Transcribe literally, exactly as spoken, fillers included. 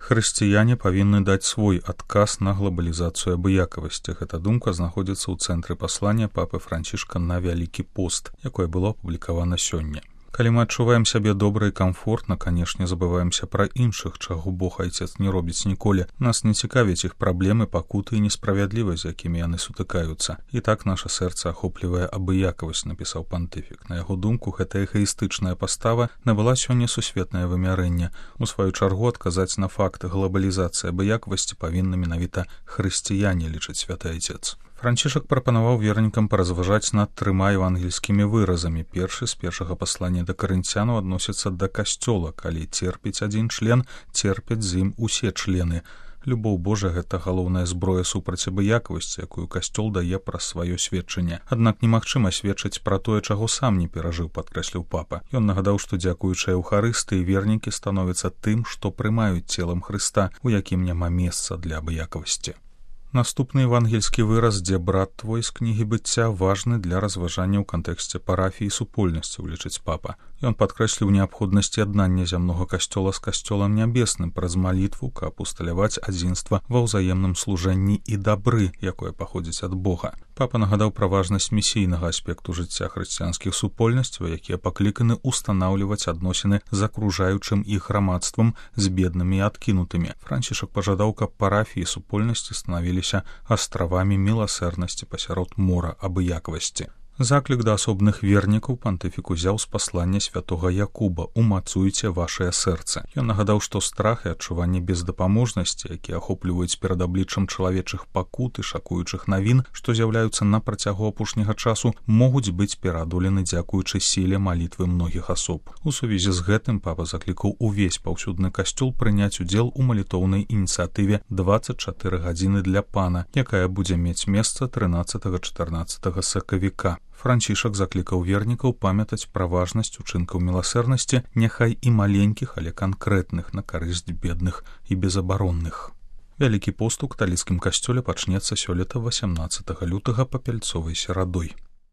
Хрысціяне павінны даць свой адказ на глобалізацыю абыякавасці. Гэта думка знаходзіцца ў цэнтры паслання папы Францішка на Вялікі пост, якое было апублікавана сёння. Калі мы адчуваем сябе добра і камфортна, канешне, забываемся пра іншых, чаго Бог Айцец не робіць ніколі. Нас не цікавяць іх праблемы, пакуты і несправядлівасць, з якімі яны сутыкаюцца. І так наша сэрца ахоплівае абыякавасць, напісаў пантыфік. На яго думку, гэта эгаістычная пастава набыла сёння сусветнае вымярэнне. У сваю чаргу адказаць на факт глобалізацыі абыякавасці павінны менавіта хрысціяне, лічыць святы Айцец. Францішак прапанаваў вернікам паразважаць над трыма евангельскімі выразамі. Першы з першага паслання да карынцянаў адносіцца да касцёла. Калі церпіць адзін член, церпяць з ім усе члены. Любоў Божа — гэта галоўная зброя супраць абыякавасці, якую касцёл дае праз сваё сведчанне. Аднак немагчыма сведчыць пра тое, чаго сам не перажыў, падкрэсліў папа. Ён нагадаў, што дзякуючы Еўхарыстыі вернікі становяцца тым, што прымаюць целам Хрыста, у якім няма месца для абыякавасці. Наступны евангельскі выраз, дзе брат твой з кнігі быцця, важны для разважання ў кантэксце парафіі і супольнасці, лічыць папа. Ён падкрэсліў неабходнасць яднання зямнога касцёла з касцёлам нябесным праз малітву, каб усталяваць адзінства ва ўзаемным служэнні і дабры, якое паходзіць ад Бога. Папа нагадаў пра важнасць місійнага аспекту жыцця хрысціянскіх супольнасцяў, якія пакліканы ўстанаўліваць адносіны з акружаючым іх грамадствам, з беднымі і адкінутымі. Францішак пажадаў, каб парафіі і супольнасці станавіліся астравамі міласэрнасці пасярод мора абыякавасці. Заклік да асобных вернікаў пантыфік узяў з паслання святога Якуба «Умацуйце вашае сэрцы». Ён нагадаў, што страх і адчуванне бездапаможнасці, якія ахопліваюць перад абліччам чалавечых пакут і шакуючых навін, што з'яўляюцца на працягу апошняга часу, могуць быць пераадолены дзякуючы сіле малітвы многіх асоб. У сувязі з гэтым папа заклікаў увесь паўсюдны касцёл прыняць удзел у малітоўнай ініцыятыве «дваццаць чатыры гадзіны для пана», якая будзе мець месца трынаццатага-чатырнаццатага сакавіка. Францішак заклікаў вернікаў памятаць пра важнасць учынкаў міласэрнасці, няхай і маленькіх, але канкрэтных, на карысць бедных і безабаронных. Вялікі пост у каталіцкім касцёле пачнецца сёлета васямнаццатага лютага папяльцовай серадой.